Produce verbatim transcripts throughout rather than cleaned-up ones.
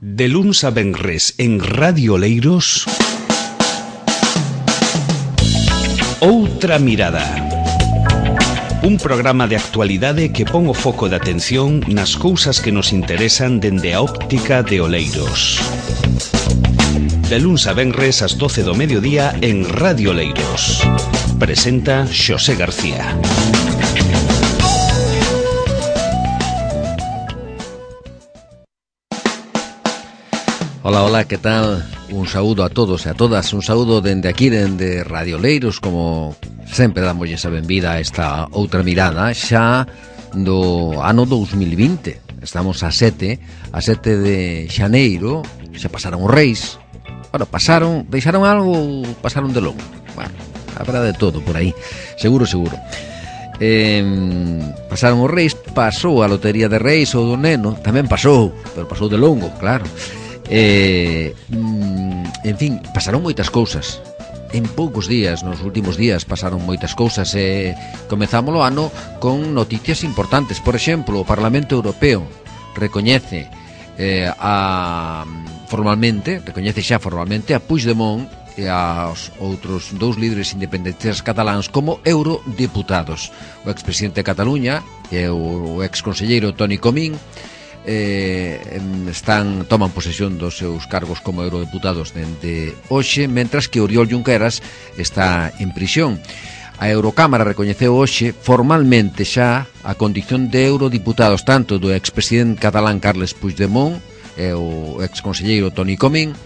De luns a venres en Radio Oleiros, Outra Mirada. Un programa de actualidade que pon o foco de atención nas cousas que nos interesan dende a óptica de Oleiros. De luns a venres ás doce do mediodía en Radio Oleiros. Presenta Xosé García. Hola, hola, que tal? Un saúdo a todos e a todas, un saúdo dende aquí, dende Radio Oleiros, como sempre damos esa benvida a esta outra mirada xa do ano dous mil vinte. Estamos a sete, a sete de xaneiro, xa pasaron os reis. Bueno, pasaron, deixaron algo ou pasaron de longo? Bueno, habrá de todo por aí, seguro, seguro. Eh, pasaron os reis, pasou a lotería de reis ou do neno, tamén pasou, pero pasou de longo, claro. Eh, en fin, pasaron moitas cousas en poucos días, nos últimos días pasaron moitas cousas e eh, comezamos o ano con noticias importantes. Por exemplo, o Parlamento Europeo recoñece eh, a, formalmente recoñece xa formalmente a Puigdemont e aos outros dous líderes independentistas cataláns como eurodiputados. O expresidente de Cataluña e o exconselleiro Toni Comín Eh, están toman posesión dos seus cargos como eurodeputados dende hoxe, mentras que Oriol Junqueras está en prisión. A Eurocámara recoñeceu hoxe formalmente xa a condición de eurodiputados tanto do expresidente catalán Carles Puigdemont e o exconselleiro Toni Comín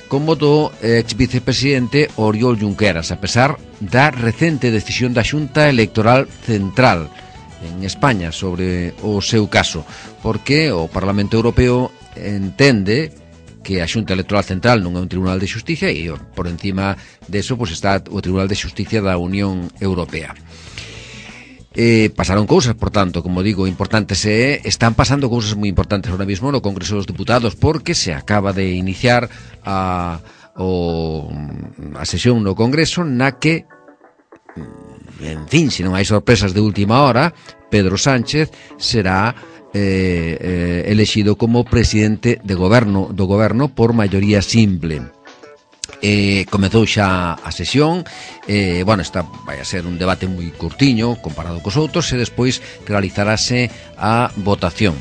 como do exvicepresidente Oriol Junqueras, a pesar da recente decisión da Xunta Electoral Central en España sobre o seu caso, porque o Parlamento Europeo entende que a Xunta Electoral Central non é un tribunal de xusticia e por encima deso pues, está o Tribunal de Xusticia da Unión Europea. Eh, pasaron cousas, por tanto, como digo, importantes e están pasando cousas moi importantes ahora mismo no Congreso dos Diputados, porque se acaba de iniciar a, o, a sesión no Congreso na que, en fin, se non hai sorpresas de última hora, Pedro Sánchez será eh, eh, elexido como presidente de goberno, do goberno por maioría simple. Eh, comezou xa a sesión, eh, bueno, esta vai a ser un debate moi curtiño comparado cos outros e despois realizarase a votación.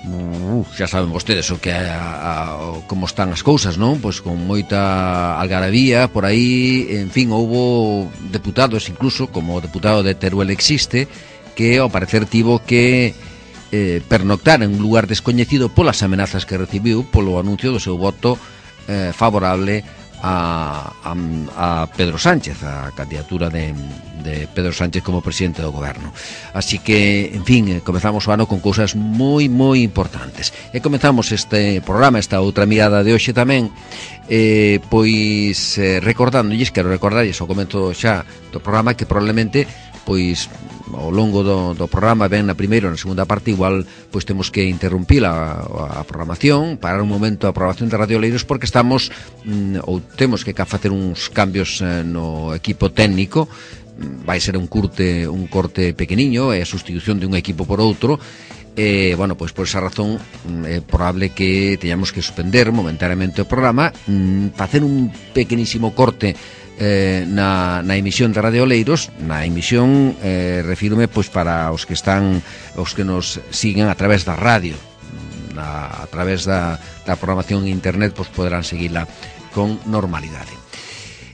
Uh, xa saben vostedes o que a, a, como están as cousas, non? Pois con moita algarabía por aí, en fin, houbo deputados incluso, como o deputado de Teruel existe, que ao parecer tivo que eh, pernoctar en un lugar descoñecido polas amenazas que recibiu polo anuncio do seu voto eh, favorable a, a, a Pedro Sánchez, a candidatura de, de Pedro Sánchez como presidente do goberno. Así que, en fin, comezamos o ano con cousas moi, moi importantes. E comezamos este programa, esta outra mirada de hoxe tamén, eh, pois eh, recordándolles, quero recordarlles ao comezo xa do programa que probablemente pois ao longo do, do programa, ben na primeira ou na segunda parte, igual pois temos que interrumpir a, a programación, parar un momento a programación de Radio Oleiros, porque estamos mm, ou temos que facer uns cambios eh, no equipo técnico. Vai ser un curte, un corte pequeniño, é a sustitución de un equipo por outro. E, bueno, pois por esa razón é probable que teñamos que suspender momentáneamente o programa, mm, facer un pequenísimo corte Eh, na, na emisión de Radio Oleiros. Na emisión eh, refírome pois para os que están, os que nos siguen a través da radio, na, a través da, da programación en internet, pois poderán seguila con normalidade.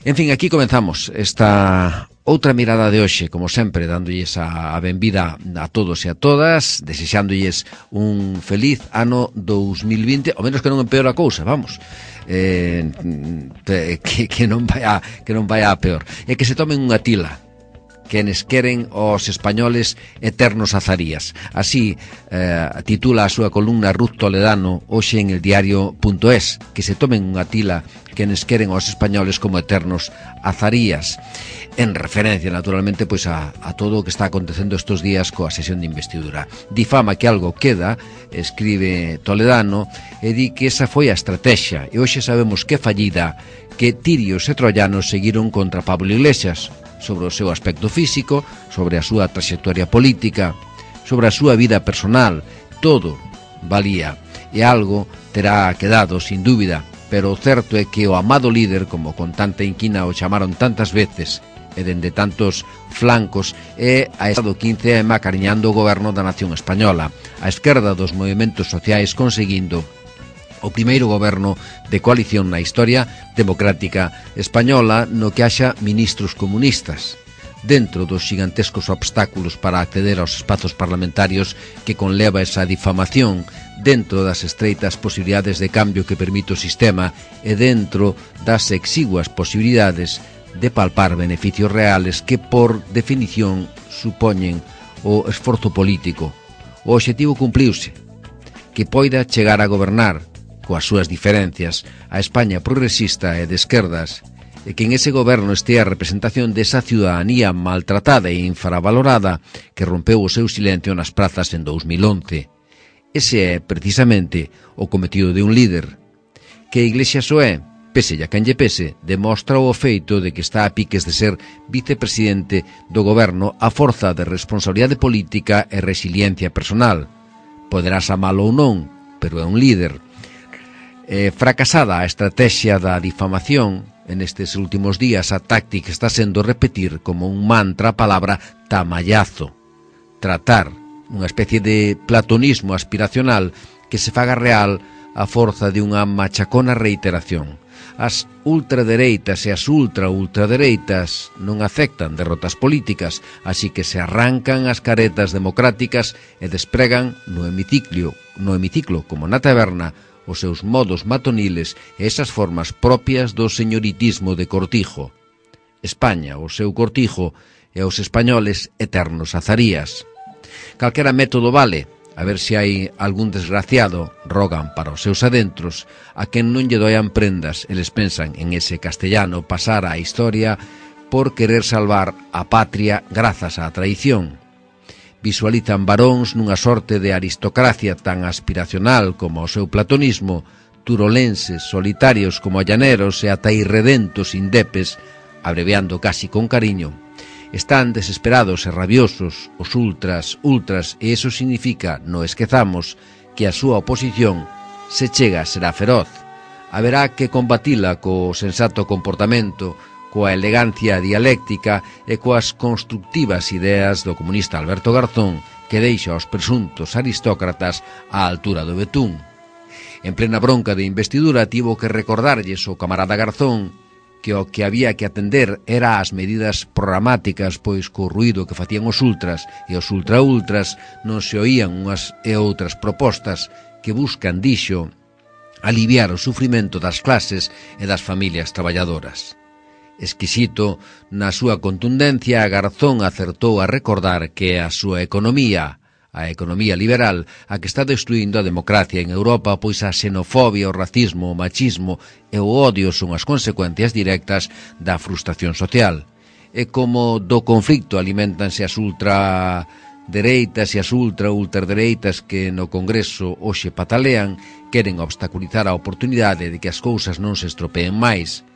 En fin, aquí comenzamos esta outra mirada de hoxe, como sempre, dándolles a, a benvida a todos e a todas, desexándolles un feliz ano dous mil vinte, ao menos que non empeora a cousa, vamos. Eh, que, que non vai a, que non vai a peor, e que se tomen unha tila quenes queren os españoles eternos azarías. Así eh, titula a súa columna Ruth Toledano hoxe en el diario punto es, que se tomen unha tila quenes queren os españoles como eternos azarías, en referencia naturalmente pois a, a todo o que está acontecendo estes días coa sesión de investidura. Difama que algo queda, escribe Toledano, e di que esa foi a estrategia, e hoxe sabemos que fallida, que tirios e troyanos seguiron contra Pablo Iglesias, sobre o seu aspecto físico, sobre a súa trayectoria política, sobre a súa vida personal, todo valía. e algo terá quedado, sin dúbida, pero o certo é que o amado líder, como con tanta inquina o chamaron tantas veces, e dende tantos flancos, é a Estado quince eme acariñando o goberno da nación española, a esquerda dos movimentos sociais conseguindo o primeiro goberno de coalición na historia democrática española no que haxa ministros comunistas, dentro dos gigantescos obstáculos para acceder aos espazos parlamentarios que conleva esa difamación, dentro das estreitas posibilidades de cambio que permite o sistema e dentro das exiguas posibilidades de palpar beneficios reales que, por definición, supoñen o esforzo político. O obxectivo cumpliuse, que poida chegar a gobernar, coas súas diferencias, a España progresista e de esquerdas, e que en ese goberno estea a representación desa ciudadanía maltratada e infravalorada que rompeu o seu silencio nas prazas en dous mil once. Ese é, precisamente, o cometido de un líder. Que a Iglesia so é, pese a quen lle pese, demostra o feito de que está a piques de ser vicepresidente do goberno a forza de responsabilidade política e resiliencia personal. Poderás amalo ou non, pero é un líder. Eh, fracasada a estrategia da difamación, en estes últimos días a táctica está sendo repetir como un mantra a palabra tamallazo. Tratar unha especie de platonismo aspiracional que se faga real a forza de unha machacona reiteración. As ultradereitas e as ultra-ultradereitas non aceptan derrotas políticas, así que se arrancan as caretas democráticas e despregan no hemiciclo, no hemiciclo como na taberna, os seus modos matoniles e esas formas propias do señoritismo de cortijo. España, o seu cortijo, e os españoles eternos azarías. Calquera método vale, a ver se hai algún desgraciado, rogan para os seus adentros, a quen non lle doian prendas, eles pensan en ese castellano pasar á historia por querer salvar a patria grazas á traición. Visualizan varóns nunha sorte de aristocracia tan aspiracional como o seu platonismo, turolenses, solitarios como llaneros e ata irredentos indepes, abreviando casi con cariño. Están desesperados e rabiosos os ultras, ultras, e iso significa, no esquezamos, que a súa oposición, se chega, será feroz. Haberá que combatila co sensato comportamento, coa elegancia dialéctica e coas constructivas ideas do comunista Alberto Garzón, que deixa aos presuntos aristócratas á altura do betún. En plena bronca de investidura tivo que recordarlles o camarada Garzón que o que había que atender era as medidas programáticas, pois co ruído que facían os ultras e os ultra-ultras non se oían unhas e outras propostas que buscan, dixo, aliviar o sufrimento das clases e das familias traballadoras. Exquisito, na súa contundencia, Garzón acertou a recordar que a súa economía, a economía liberal, a que está destruindo a democracia en Europa, pois a xenofobia, o racismo, o machismo e o odio son as consecuencias directas da frustración social. E como do conflicto alimentanse as ultradereitas e as ultra-ultradereitas que no Congreso hoxe patalean, queren obstaculizar a oportunidade de que as cousas non se estropeen máis.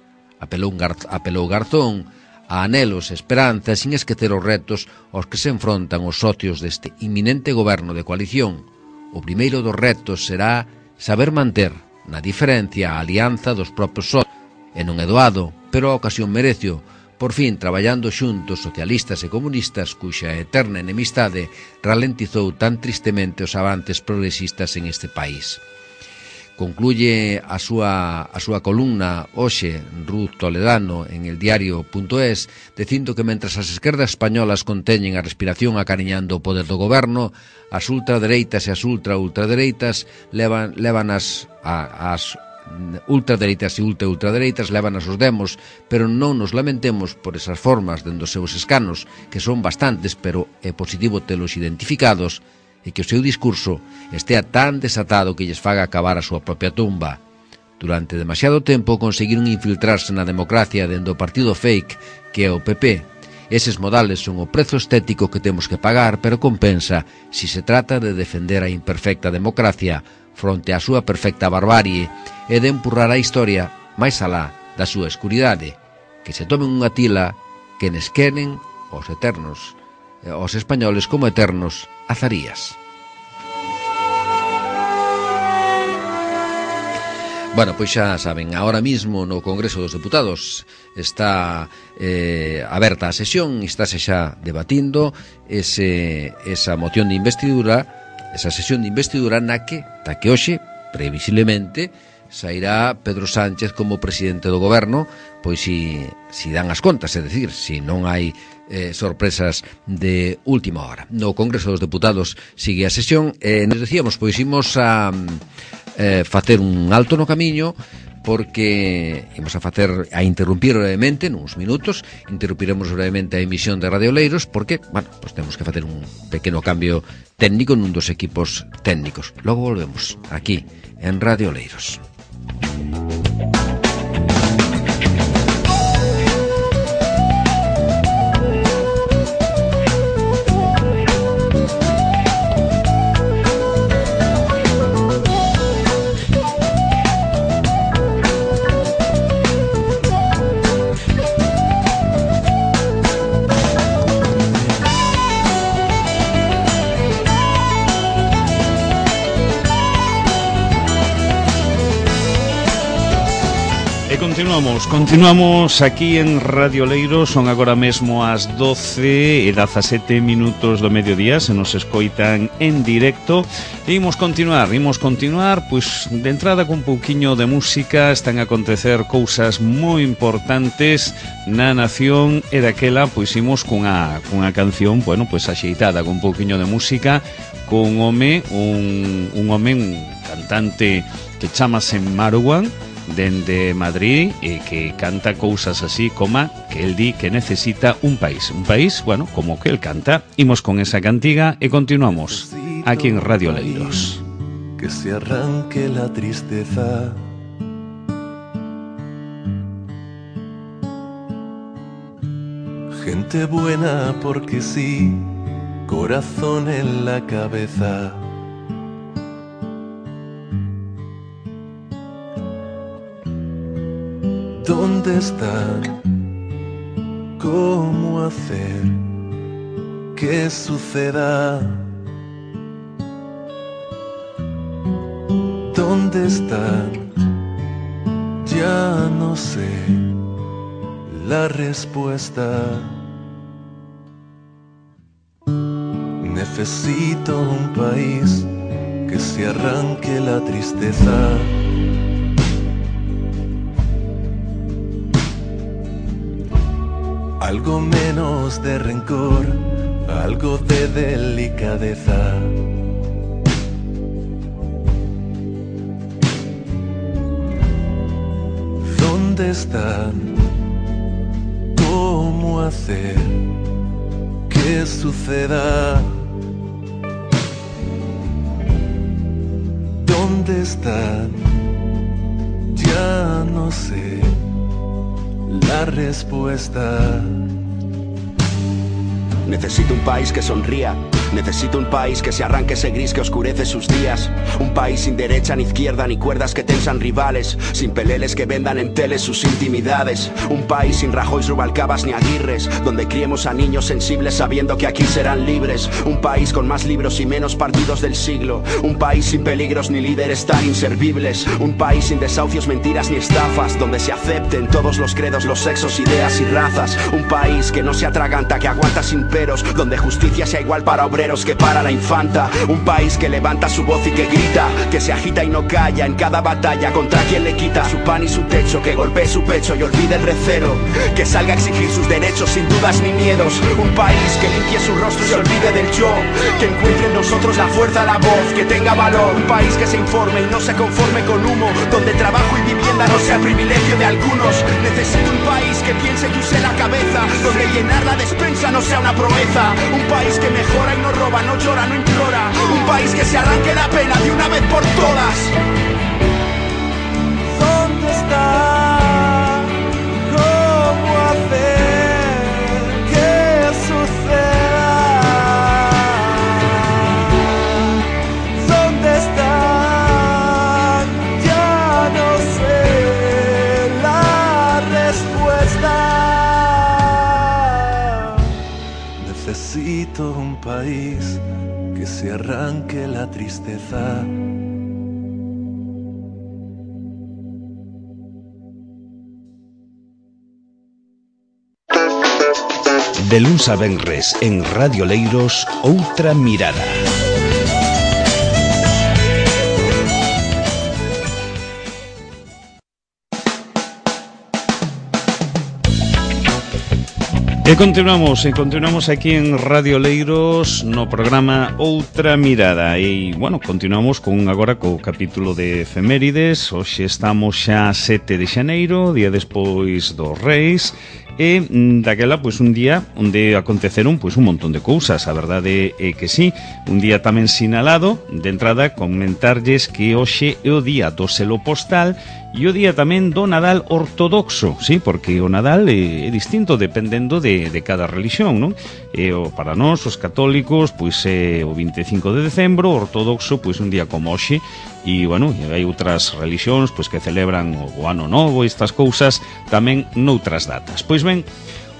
Apelou, Gar- apelou Garzón a anelos e esperanzas sin esquecer os retos aos que se enfrontan os socios deste inminente goberno de coalición. O primeiro dos retos será saber manter, na diferencia, a alianza dos propios socios, e non é doado, pero a ocasión merecio, por fin traballando xuntos socialistas e comunistas cuxa eterna enemistade ralentizou tan tristemente os avances progresistas en este país. Concluye a súa, a súa columna hoxe Ruth Toledano en el diario.es dicindo que mentras as esquerdas españolas conteñen a respiración acariñando o poder do goberno, as ultradereitas e as ultra-ultradereitas levan, levan as, a, as ultradereitas e ultra-ultradereitas levan as os demos, pero non nos lamentemos por esas formas dende os seus escanos, que son bastantes, pero é positivo telos identificados, e que o seu discurso estea tan desatado que lles faga acabar a súa propia tumba. Durante demasiado tempo conseguiron infiltrarse na democracia dende o partido fake que é o P P. Eses modales son o prezo estético que temos que pagar, pero compensa si se trata de defender a imperfecta democracia fronte á súa perfecta barbarie e de empurrar a historia máis alá da súa escuridade. Que se tomen unha tila que nes queren os eternos, os españoles como eternos azarías. Bueno, pois xa saben, ahora mismo no Congreso dos Deputados está eh, aberta a sesión, estáse xa debatindo ese, esa moción de investidura, esa sesión de investidura na que, ta que hoxe, previsiblemente, sairá Pedro Sánchez como presidente do goberno, pois si, si dan as contas, é dicir, si non hai eh, sorpresas de última hora. No Congreso dos Deputados sigue a sesión, e eh, nos decíamos, pois imos a eh, facer un alto no camiño, porque imos a facer a interrumpir brevemente nuns minutos, interrumpiremos brevemente a emisión de Radio Oleiros, porque, bueno, pues temos que facer un pequeno cambio técnico nun dos equipos técnicos. Logo volvemos aquí en Radio Oleiros. Continuamos, continuamos aquí en Radio Oleiros. Son agora mesmo as doce e dezasete minutos do mediodía. Se nos escoitan en directo. E imos continuar, imos continuar Pois de entrada con un pouquiño de música. Están a acontecer cousas moi importantes na nación. E daquela, pois imos cunha, cunha canción, bueno, pois axeitada, con un pouquiño de música, con un home, un, un home, un cantante que chamase Marwan, dende Madrid, e que canta cousas así como que el di que necesita un país, un país, bueno, como que el canta. Imos con esa cantiga e continuamos aquí en Radio Oleiros. Que se arranque la tristeza, gente buena porque sí, corazón en la cabeza. ¿Dónde están? ¿Cómo hacer que suceda? ¿Dónde están? Ya no sé la respuesta. Necesito un país que se arranque la tristeza. Algo menos de rencor, algo de delicadeza. ¿Dónde están? ¿Cómo hacer que suceda? ¿Dónde están? Ya no sé la respuesta. Necesito un país que sonría. Necesito un país que se arranque ese gris que oscurece sus días. Un país sin derecha ni izquierda ni cuerdas que tensan rivales, sin peleles que vendan en teles sus intimidades. Un país sin Rajoy, Rubalcabas ni Aguirres, donde criemos a niños sensibles sabiendo que aquí serán libres. Un país con más libros y menos partidos del siglo. Un país sin peligros ni líderes tan inservibles. Un país sin desahucios, mentiras ni estafas, donde se acepten todos los credos, los sexos, ideas y razas. Un país que no se atraganta, que aguanta sin peros, donde justicia sea igual para obreros que para la infanta. Un país que levanta su voz y que grita, que se agita y no calla en cada batalla contra quien le quita su pan y su techo, que golpee su pecho y olvide el recelo, que salga a exigir sus derechos sin dudas ni miedos. Un país que limpie su rostro y se olvide del yo, que encuentre en nosotros la fuerza, la voz, que tenga valor. Un país que se informe y no se conforme con humo, donde trabajo y vivienda no sea privilegio de algunos. Necesito un país que piense y use la cabeza, donde llenar la despensa no sea una proeza. Un país que mejora y no roba, no llora, no implora. Un país que se arranque la pena de una vez por todas. ¿Dónde está? ¿Cómo hacer que suceda? ¿Dónde están? Ya no sé la respuesta. Necesito un país que se arranque la tristeza. De luns a venres en Radio Leiros, Outra Mirada. E continuamos, e continuamos aquí en Radio Leiros no programa Outra Mirada. E, bueno, continuamos con agora co capítulo de efemérides. Hoxe estamos xa sete de xaneiro, día despois dos Reis. E daquela, pois, un día onde aconteceron, pois, un montón de cousas. A verdade é que sí, un día tamén sinalado. De entrada, comentarlles que hoxe é o día do selo postal e o día tamén do Nadal ortodoxo, sí, porque o Nadal é, é distinto dependendo de, de cada religión, non? E o, para nós, os católicos, pois é o vinte e cinco de decembro, ortodoxo, pois un día como hoxe. E, bueno, hai outras religións pois que celebran o Ano Novo e estas cousas tamén noutras datas. Pois ben,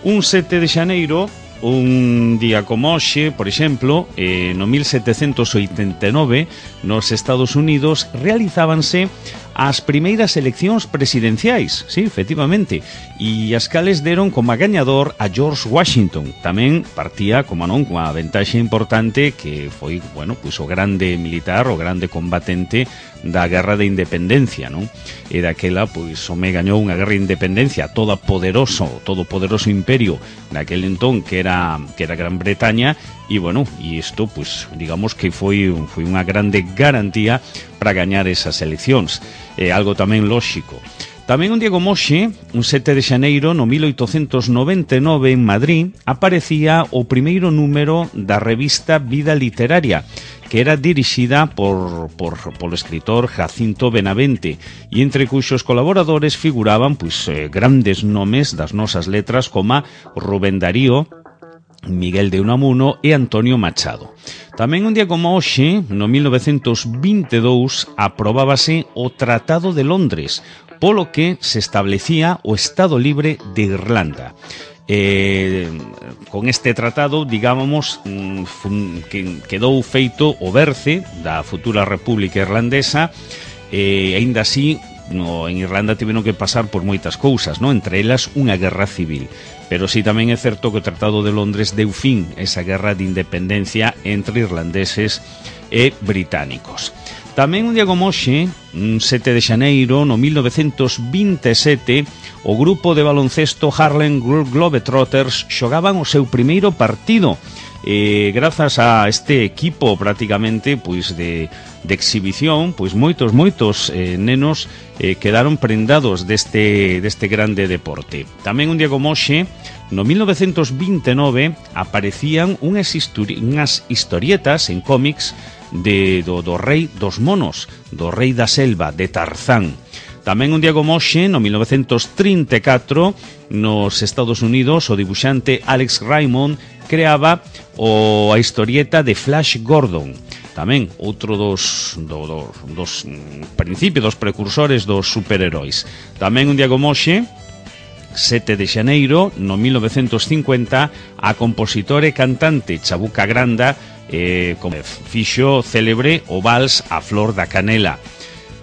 un sete de xaneiro, un día como hoxe, por exemplo, eh, no mil setecentos oitenta e nove, nos Estados Unidos realizábanse as primeiras eleccións presidenciais, sí, efectivamente, e as cales deron como gañador a George Washington. Tamén partía, como non, cunha ventaxe importante que foi, bueno, pois o grande militar, o grande combatente da Guerra de Independencia, non? E daquela, pois, o me gañou unha guerra de independencia toda poderoso, todo poderoso imperio naquele entón que era que era Gran Bretaña. E, bueno, e isto, pois, digamos que foi, foi unha grande garantía para gañar esas eleccións. É algo tamén lóxico. Tamén un día como hoxe, un sete de xaneiro, no mil oitocentos noventa e nove, en Madrid, aparecía o primeiro número da revista Vida Literaria, que era dirixida por, por, polo escritor Jacinto Benavente, e entre cuxos colaboradores figuraban, pois, eh, grandes nomes das nosas letras como Rubén Darío, Miguel de Unamuno e Antonio Machado. Tamén un día como hoxe, no mil novecentos vinte e dous, aprobábase o Tratado de Londres, polo que se establecía o Estado Libre de Irlanda. Eh, con este tratado, digámos, que quedou feito o berce da futura República Irlandesa, e aínda así, no, en Irlanda tiveron que pasar por moitas cousas, no? Entre elas unha guerra civil. Pero sí tamén é certo que o Tratado de Londres deu fin a esa guerra de independencia entre irlandeses e británicos. Tamén un día como hoxe, un sete de xaneiro, no mil novecentos vinte e sete, o grupo de baloncesto Harlem Globetrotters xogaban o seu primeiro partido. E grazas a este equipo prácticamente pois de, de exhibición, pois moitos, moitos eh, nenos eh, quedaron prendados deste, deste grande deporte. Tamén un día como hoxe, no mil novecentos vinte e nove, aparecían unhas, histori unhas historietas en cómics de, do, do rei dos monos, do rei da selva, de Tarzán. Tamén un día como hoxe, no mil novecentos trinta e catro, nos Estados Unidos, o dibuixante Alex Raymond creaba o, a historieta de Flash Gordon. Tamén outro dos, do, do, dos principios, dos precursores dos superheróis. Tamén un día como hoxe, sete de xaneiro, no mil novecentos cincuenta, a compositora e cantante Chabuca Granda eh, como fixo célebre o vals A Flor da Canela.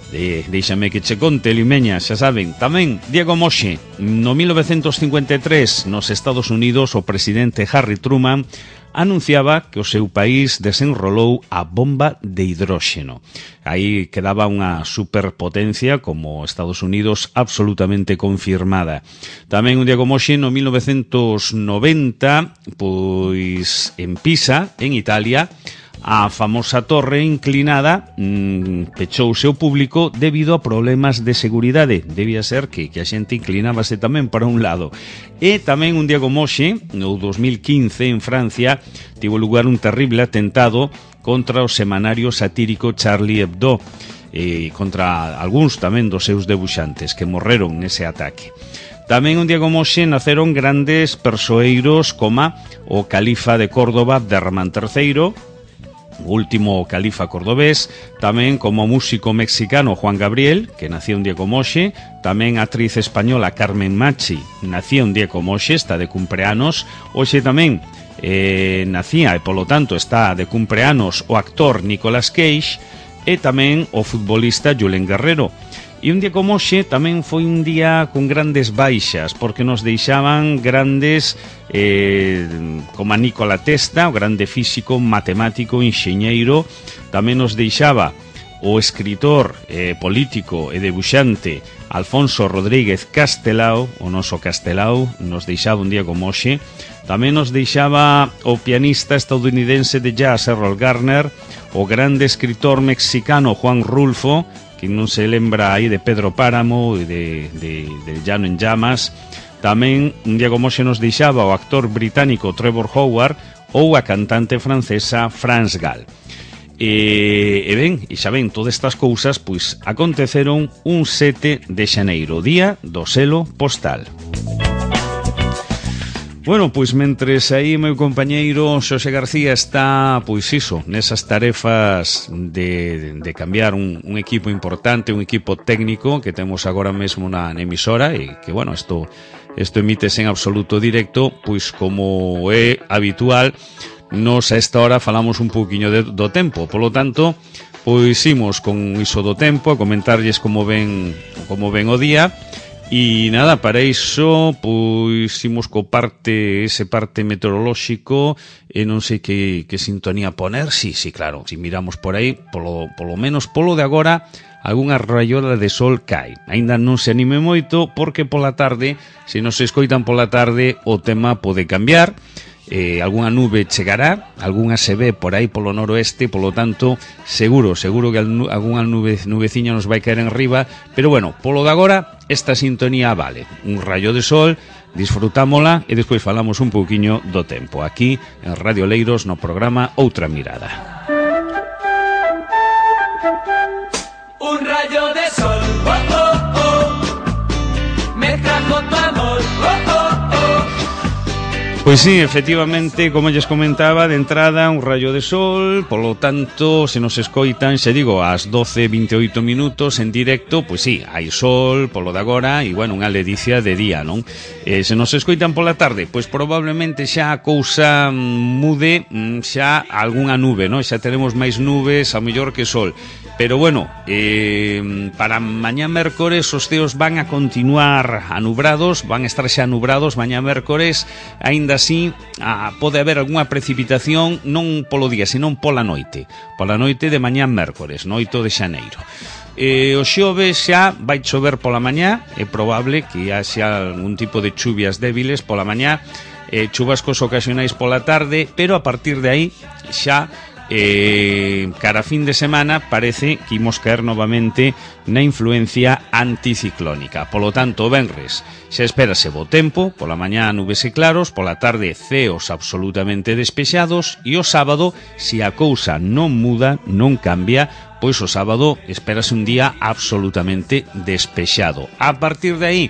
De, deixame que che conte, Limeña, xa saben. Tamén, día como hoxe, no mil novecentos cincuenta e tres, nos Estados Unidos, o presidente Harry Truman anunciaba que o seu país desenrolou a bomba de hidróxeno. Aí quedaba unha superpotencia como Estados Unidos absolutamente confirmada. Tamén un día como hoxe, no mil novecentos noventa, pois en Pisa, en Italia, a famosa torre inclinada mmm, pechouse ao público debido a problemas de seguridade. Debía ser que, que a xente inclinábase tamén para un lado. E tamén un día como hoxe, no dos mil quince, en Francia, tivo lugar un terrible atentado contra o semanario satírico Charlie Hebdo, e contra algúns tamén dos seus debuxantes que morreron nese ataque. Tamén un día como hoxe naceron grandes persoeiros como o califa de Córdoba, Abderramán terceiro, o último califa cordobés, tamén como músico mexicano Juan Gabriel, que nacía un día como hoxe, tamén a actriz española Carmen Machi, nacía un día como hoxe, está de cumpleanos. Hoxe tamén eh, nacía, e polo tanto está de cumpleanos, o actor Nicolas Cage. e tamén o futbolista Julen Guerrero. E un día como hoxe tamén foi un día con grandes baixas, porque nos deixaban grandes eh, como a Nikola Tesla, o grande físico, matemático, enxeñeiro. Tamén nos deixaba o escritor, eh, político e debuxante Alfonso Rodríguez Castelao, o noso Castelao, nos deixaba un día como hoxe. Tamén nos deixaba o pianista estadounidense de jazz Errol Garner, o grande escritor mexicano Juan Rulfo, que non se lembra aí de Pedro Páramo e de, de, de Llano en Llamas. Tamén un día como hoxe nos deixaba o actor británico Trevor Howard ou a cantante francesa France Gall. E, e ben, e xa ven, todas estas cousas pois aconteceron un sete de xaneiro, día do selo postal. Bueno, pois mentres aí meu compañeiro Xosé García está, pois iso, nesas tarefas de, de cambiar un, un equipo importante, un equipo técnico que temos agora mesmo na emisora, e que, bueno, isto, isto emítese en absoluto directo, pois como é habitual, nos a esta hora falamos un pouquiño de, do tempo, polo tanto, pois imos con iso do tempo, a comentarlles como ven, como ven o día. E nada, para iso, pois, imos co parte, ese parte meteorolóxico, e non sei que, que sintonía poner, sí, sí, claro, si miramos por aí, polo, polo menos polo de agora, algunha raiola de sol cae. Ainda non se anime moito, porque pola tarde, se nos escoitan pola tarde, o tema pode cambiar, eh, algunha nube chegará, algunha se ve por aí polo noroeste, polo tanto, seguro, seguro que algunha nube, nubeciña nos vai caer en riba, pero bueno, polo de agora, esta sintonía vale, un rayo de sol, disfrutámola e despois falamos un pouquiño do tempo, aquí en Radio Oleiros no programa Outra Mirada. Un rayo de sol, oh, oh, oh, me trajo tu amor, oh, oh, oh. Pois sí, efectivamente, como lles comentaba, de entrada un rayo de sol, polo tanto, se nos escoitan, se digo, ás doce e vinte e oito minutos en directo, pois sí, hai sol, polo de agora, e, bueno, unha ledicia de día, non? Eh, se nos escoitan pola tarde, pois probablemente xa a cousa mude, xa algunha nube, non? Xa teremos máis nubes, ao mellor que sol. Pero bueno, eh, para mañá mércores os ceos van a continuar anubrados, van a estar xa anubrados mañá mércores, aínda así ah, pode haber algunha precipitación non polo día, senón pola noite, pola noite de mañá mércores, no oito de xaneiro. Eh, o xoves xa vai chover pola mañá, é probable que haxa algún tipo de chuvias débiles pola mañá, eh, chubascos ocasionais pola tarde, pero a partir de aí xa Eh, cara a fin de semana parece que imos caer novamente na influencia anticiclónica. Polo tanto, o venres xa espérase bo tempo, pola mañá nubes e claros, pola tarde ceos absolutamente despexados, e o sábado, se a cousa non muda, non cambia, pois o sábado espérase un día absolutamente despexado. A partir de aí,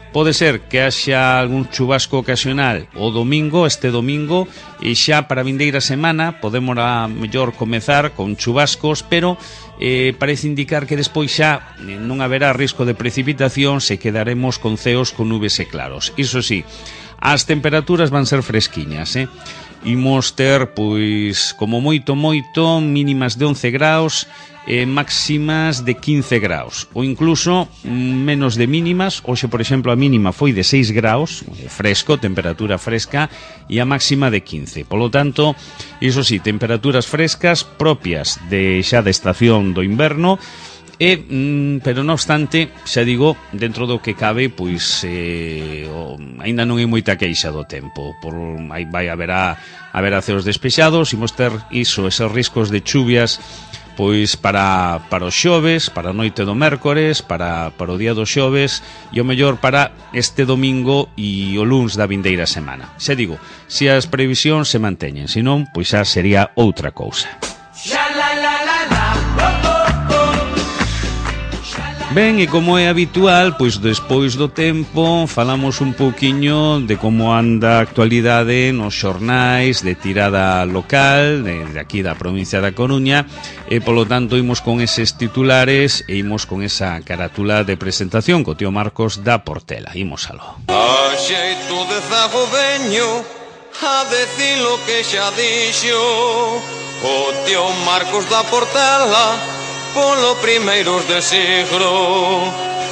pode ser que haxa algún chubasco ocasional o domingo, este domingo, e xa para a vindeira semana podemos a mellor comezar con chubascos, pero eh, parece indicar que despois xa non haberá risco de precipitación, se quedaremos con ceos con nubes e claros. Iso sí, as temperaturas van ser fresquiñas, eh? Imos ter, pois, como moito, moito, mínimas de once graus, eh, máximas de quince graus, ou incluso menos de mínimas. Hoxe, por exemplo, a mínima foi de seis graus, fresco, temperatura fresca, e a máxima de quince. Polo tanto, iso sí, temperaturas frescas propias de xa da estación do inverno, e, mm, pero non obstante, xa digo, dentro do que cabe, pois eh, o, aínda non hai moita queixa do tempo. Por, aí vai haberá, haberá ceos despexados, imos ter iso, esos riscos de chuvias, pois para, para os xoves, para a noite do mércores, para, para o día do xoves, e o mellor para este domingo e o luns da vindeira semana. Xa digo, se as previsións se manteñen, senón, pois xa sería outra cousa. Ben, e como é habitual, pois despois do tempo falamos un pouquiño de como anda a actualidade nos xornais de tirada local de, de aquí da provincia da Coruña, e polo tanto imos con eses titulares e imos con esa carátula de presentación co tío Marcos da Portela. Imos aló. A xeito de zagodeño a decir lo que xa dixo o tío Marcos da Portela, polo primeiros de siglo.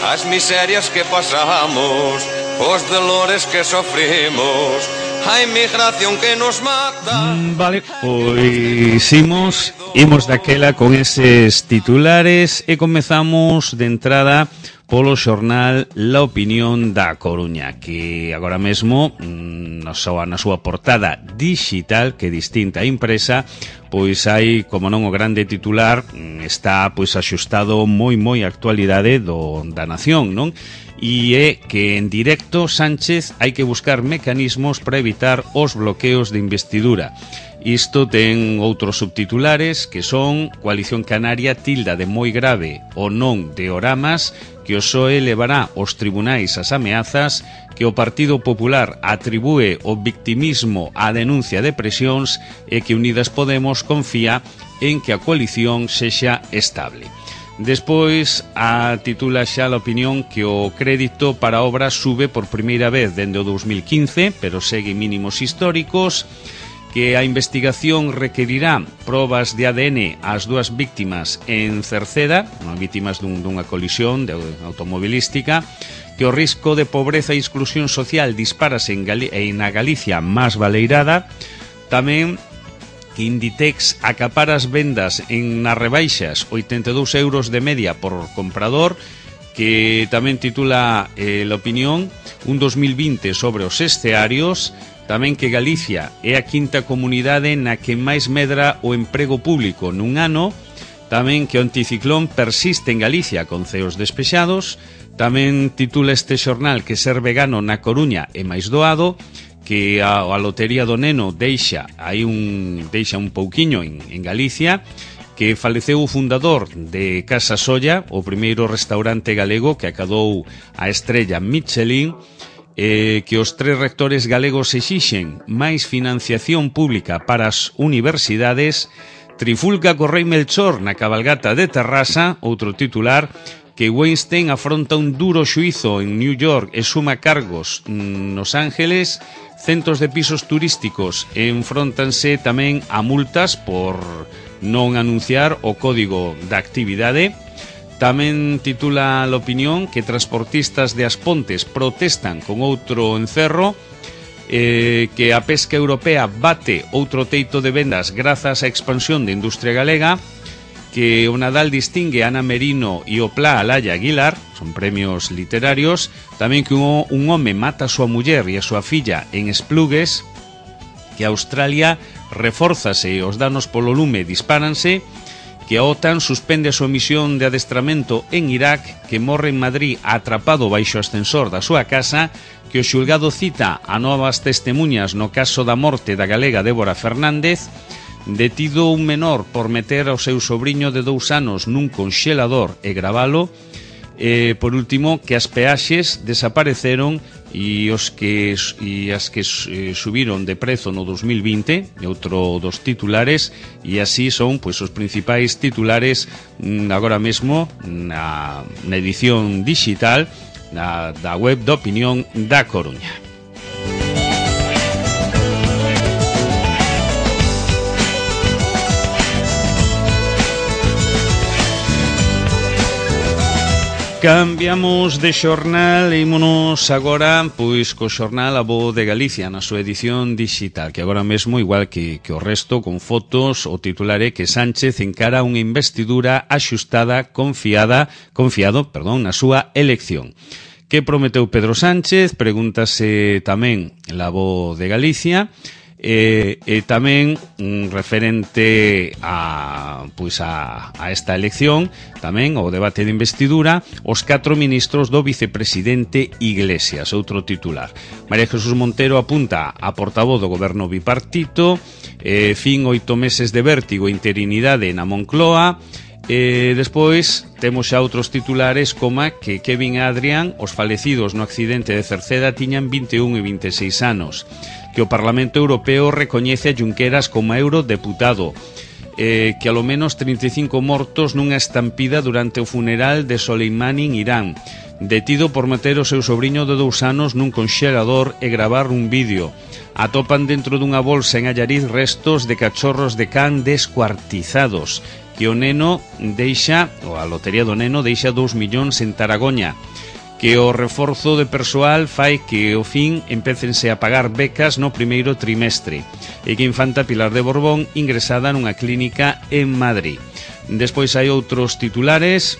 As miserias que pasamos, os dolores que sofrimos, a inmigración que nos mata. Mm, vale, pois imos, imos daquela con eses titulares e comezamos de entrada polo xornal La Opinión da Coruña, que agora mesmo na súa, na súa portada digital, que é distinta a impresa, pois hai, como non, o grande titular está pois axustado moi moi á actualidade do, da nación, non? E é que en directo Sánchez hai que buscar mecanismos para evitar os bloqueos de investidura. Isto ten outros subtitulares que son: Coalición Canaria tilda de moi grave o non de Oramas, que o P S O E levará aos tribunais as ameazas, que o Partido Popular atribúe o victimismo á denuncia de presións e que Unidas Podemos confía en que a coalición sexa estable. Despois a titula xa La Opinión que o crédito para obras sube por primeira vez dende o dous mil quince, pero segue mínimos históricos, que a investigación requerirá probas de A D N ás dúas víctimas en Cerceda, víctimas dun, dunha colisión de automobilística, que o risco de pobreza e exclusión social dispárase en, Gali- en a Galicia máis baleirada, tamén que Inditex acapara as vendas en nas rebaixas oitenta e dous euros de media por comprador, que tamén titula eh, La Opinión un dos mil vinte sobre os escearios. Tamén que Galicia é a quinta comunidade na que máis medra o emprego público nun ano. Tamén que o anticiclón persiste en Galicia con ceos despexados. Tamén titula este xornal que ser vegano na Coruña é máis doado, que a, a lotería do neno deixa aí un deixa un pouquiño en, en Galicia, que faleceu o fundador de Casa Solla, o primeiro restaurante galego que acadou a estrella Michelin. Eh, que os tres rectores galegos exixen máis financiación pública para as universidades. Trifulca co rei Melchor na cabalgata de Terrasa, outro titular, que Weinstein afronta un duro xuizo en New York e suma cargos nos Ángeles. Centos de pisos turísticos enfrontanse tamén a multas por non anunciar o código da actividade. Tamén titula La Opinión que transportistas de As Pontes protestan con outro encerro, eh, que a pesca europea bate outro teito de vendas grazas á expansión da industria galega, que o Nadal distingue a Ana Merino e o Pla a Laia Aguilar, son premios literarios. Tamén que un, un home mata a súa muller e a súa filla en Esplugues, que Australia refórzase e os danos polo lume dispáranse, que a OTAN suspende a súa misión de adestramento en Irak, que morre en Madrid atrapado baixo o ascensor da súa casa, que o xulgado cita a novas testemunhas no caso da morte da galega Débora Fernández, detido un menor por meter ao seu sobriño de dous anos nun conxelador e gravalo, e, por último, que as peaxes desapareceron e os que e as que eh, subiron de prezo no dos mil vinte, e outro dos titulares, e así son pois os principais titulares mm, agora mesmo na, na edición digital na, da web da Opinión da Coruña. Cambiamos de xornal e ímonos agora pois co xornal A Voz de Galicia na súa edición digital, que agora mesmo, igual que, que o resto, con fotos, o titular é que Sánchez encara unha investidura axustada, confiada, confiado, perdón, na súa elección. Que prometeu Pedro Sánchez? Pregúntase tamén La Voz de Galicia. E, e tamén mm, referente a, pois a, a esta elección, tamén o debate de investidura, os catro ministros do vicepresidente Iglesias, outro titular. María Jesús Montero apunta a portavoz do goberno bipartito, eh, fin oito meses de vértigo e interinidade na Moncloa. E despois temos xa outros titulares como que Kevin e Adrián, os falecidos no accidente de Cerceda, tiñan vinte e un e vinte e seis anos, que o Parlamento Europeo recoñece a Junqueras como eurodeputado, eh, que alo menos trinta e cinco mortos nunha estampida durante o funeral de Soleimani en Irán, detido por meter o seu sobriño de dous anos nun conxelador e gravar un vídeo. Atopan dentro dunha bolsa en Allariz restos de cachorros de can descuartizados. que o neno deixa, ou a lotería do neno deixa dous millóns en Taragoña, que o reforzo de persoal fai que ao fin empécense a pagar becas no primeiro trimestre e que infanta Pilar de Borbón ingresada nunha clínica en Madrid. Despois hai outros titulares,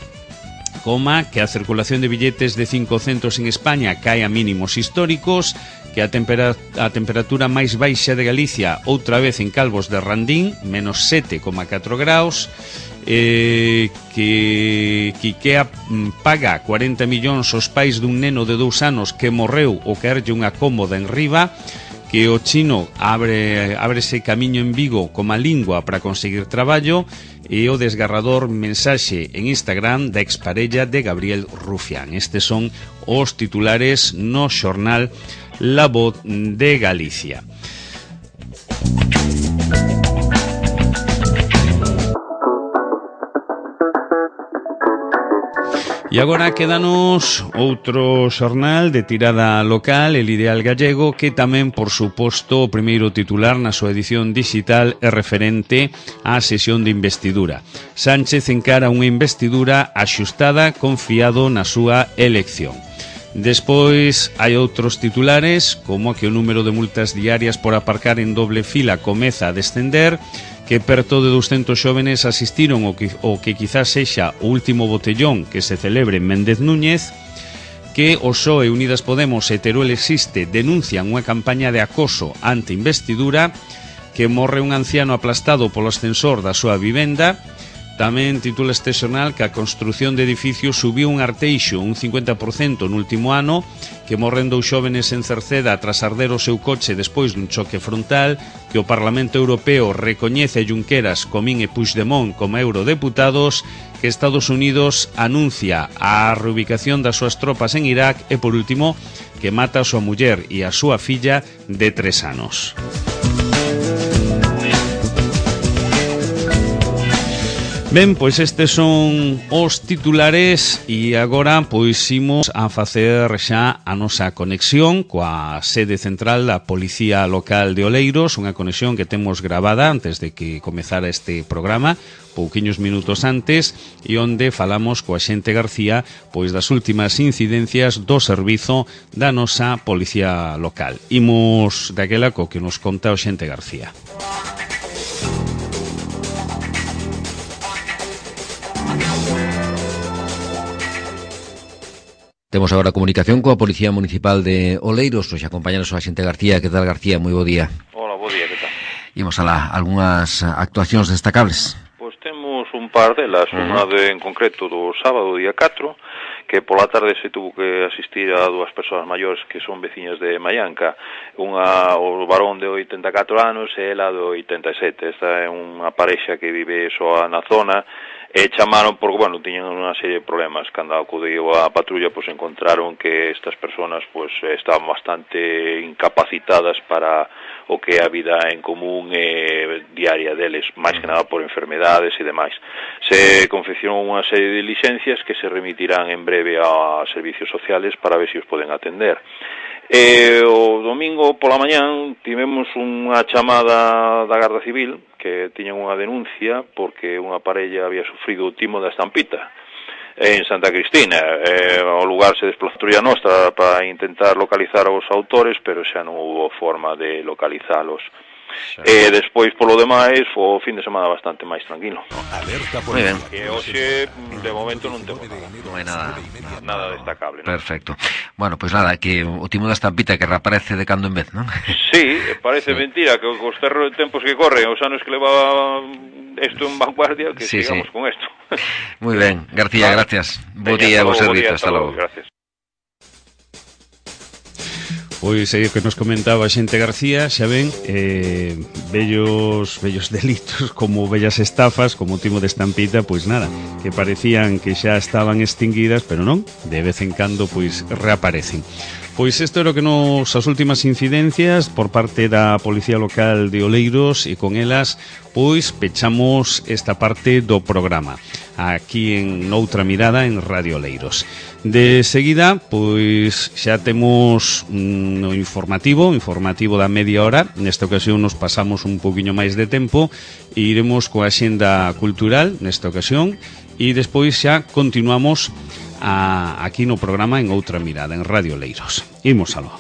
coma que a circulación de billetes de cinco centos en España cae a mínimos históricos, que a, tempera, a temperatura máis baixa de Galicia outra vez en Calvos de Randín, menos sete coma catro graus, eh, que, que IKEA paga cuarenta millóns aos pais dun neno de dous anos que morreu ou caerlle unha cómoda en riba, que o chino abre, abre ese camiño en Vigo como a lingua para conseguir traballo, e o desgarrador mensaxe en Instagram da exparella de Gabriel Rufián. Estes son os titulares no xornal La Voz de Galicia. E agora quédanos outro xornal de tirada local, El Ideal Gallego, que tamén, por suposto, o primeiro titular na súa edición digital é referente á sesión de investidura. Sánchez encara unha investidura axustada, confiado na súa elección. Despois hai outros titulares, como que o número de multas diarias por aparcar en doble fila comeza a descender, que perto de ducentos xóvenes asistiron o que, o que quizás sexa o último botellón que se celebre en Méndez Núñez, que o P S O E, Unidas Podemos e Teruel Existe denuncian unha campaña de acoso ante investidura, que morre un anciano aplastado polo ascensor da súa vivenda. Tamén titula este xornal que a construción de edificios subiu un arteixo un cincuenta por cento no último ano, que morren dous xóvenes en Cerceda tras arder o seu coche despois dun choque frontal, que o Parlamento Europeo recoñece a Junqueras, Comín e Puigdemont como eurodeputados, que Estados Unidos anuncia a reubicación das súas tropas en Irak e, por último, que mata a súa muller e a súa filla de tres anos. Ben, pois estes son os titulares e agora pois imos a facer xa a nosa conexión coa sede central da Policía Local de Oleiros, unha conexión que temos gravada antes de que comezara este programa, pouquiños minutos antes, e onde falamos coa xente García pois das últimas incidencias do servizo da nosa Policía Local. Imos daquela co que nos conta o xente García. Temos agora comunicación coa Policía Municipal de Oleiros. Nos acompañanos o axente García. Que tal, García? Moi bo día. Hola, bo día, que tal? Imos alá, algunhas actuacións destacables. Pois temos un par delas, uh-huh. Unha de, en concreto do sábado, día catro, que pola tarde se tuvo que asistir a dúas persoas maiores que son veciñas de Maianca, unha, o varón de oitenta e catro anos e ela de oitenta e sete. Esta é unha parexa que vive soa na zona, e chamaron porque, bueno, tiñan unha serie de problemas. Cando acudiu a patrulla, pois encontraron que estas persoas pois estaban bastante incapacitadas para o que é a vida en común e diaria deles, máis que nada por enfermedades e demais. Se confeccionou unha serie de licencias que se remitirán en breve a servicios sociales para ver se os poden atender. E o domingo pola mañán tivemos unha chamada da Garda Civil que tiñan unha denuncia porque unha parella había sufrido o timo da estampita en Santa Cristina. E, ao lugar se desplazou a nostra para intentar localizar os autores, pero xa non houve forma de localizalos. E despois, polo demais, o fin de semana bastante máis tranquilo. Moi ben. Que hoxe, de momento, non temos nada. Non hai nada, nada destacable, ¿no? Perfecto. Bueno, pois pues nada, que o timo da estampita que reaparece de cando en vez, non? Sí, parece sí. Mentira, que os terros de tempos que corren, os anos que leva isto en vanguardia, que sí, sigamos sí. Con isto. Moi ben, García, claro. Gracias. Bo día, bo servizo, hasta logo. Gracias. Pois é o que nos comentaba a xente García, xa ven, eh, bellos, bellos delitos como bellas estafas, como o timo de estampita, pois nada, que parecían que xa estaban extinguidas, pero non, de vez en cando pois reaparecen. Pois isto era o que nos as últimas incidencias por parte da Policía Local de Oleiros, e con elas pois pechamos esta parte do programa aquí en Noutra Mirada en Radio Oleiros. De seguida, pois xa temos no mm, informativo, informativo da media hora. Nesta ocasión nos pasamos un poquinho máis de tempo e iremos coa axenda cultural nesta ocasión, e despois xa continuamos a, aquí no programa en Outra Mirada en Radio Oleiros. Imos aló.